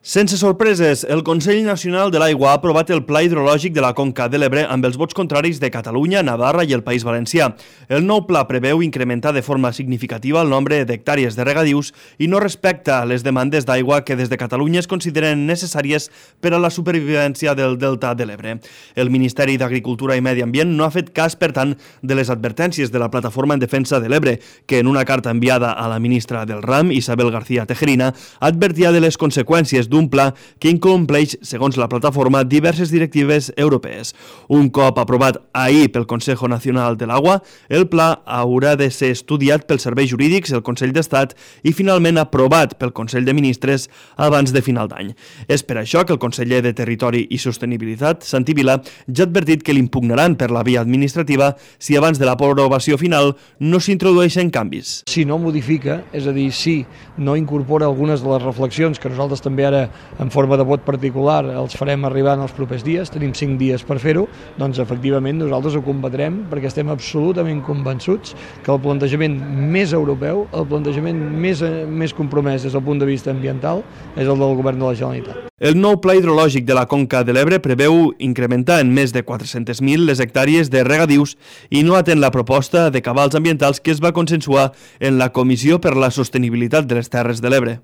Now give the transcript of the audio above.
Sense sorpreses, el Consell Nacional de l'Aigua ha aprovat el Pla Hidrològic de la Conca de l'Ebre amb els vots contraris de Catalunya, Navarra i el País Valencià. El nou pla preveu incrementar de forma significativa el nombre d'hectàrees de regadius i no respecta les demandes d'aigua que des de Catalunya es consideren necessàries per a la supervivència del Delta de l'Ebre. El Ministeri d'Agricultura i Medi Ambient no ha fet cas, per tant, de les advertències de la Plataforma en Defensa de l'Ebre, que en una carta enviada a la ministra del RAM, Isabel García Tejerina, advertia de les conseqüències d'un pla que incompleix, segons la plataforma, diverses directives europees. Un cop aprovat ahir pel Consejo Nacional de l'Agua, el pla haurà de ser estudiat pels serveis jurídics, el Consell d'Estat i finalment aprovat pel Consell de Ministres abans de final d'any. És per això que el conseller de Territori i Sostenibilitat, Santi Vila, ja ha advertit que l'impugnaran per la via administrativa si abans de l'aprovació final no s'introdueixen canvis. Si no modifica, és a dir, si no incorpora algunes de les reflexions que nosaltres també ara en forma de vot particular els farem arribar en els propers dies, tenim 5 dies per fer-ho, doncs efectivament nosaltres ho combatrem perquè estem absolutament convençuts que el plantejament més europeu, el plantejament més compromès des del punt de vista ambiental és el del govern de la Generalitat. El nou pla hidrològic de la Conca de l'Ebre preveu incrementar en més de 400.000 les hectàrees de regadius i no atén la proposta de cabals ambientals que es va consensuar en la Comissió per la Sostenibilitat de les Terres de l'Ebre.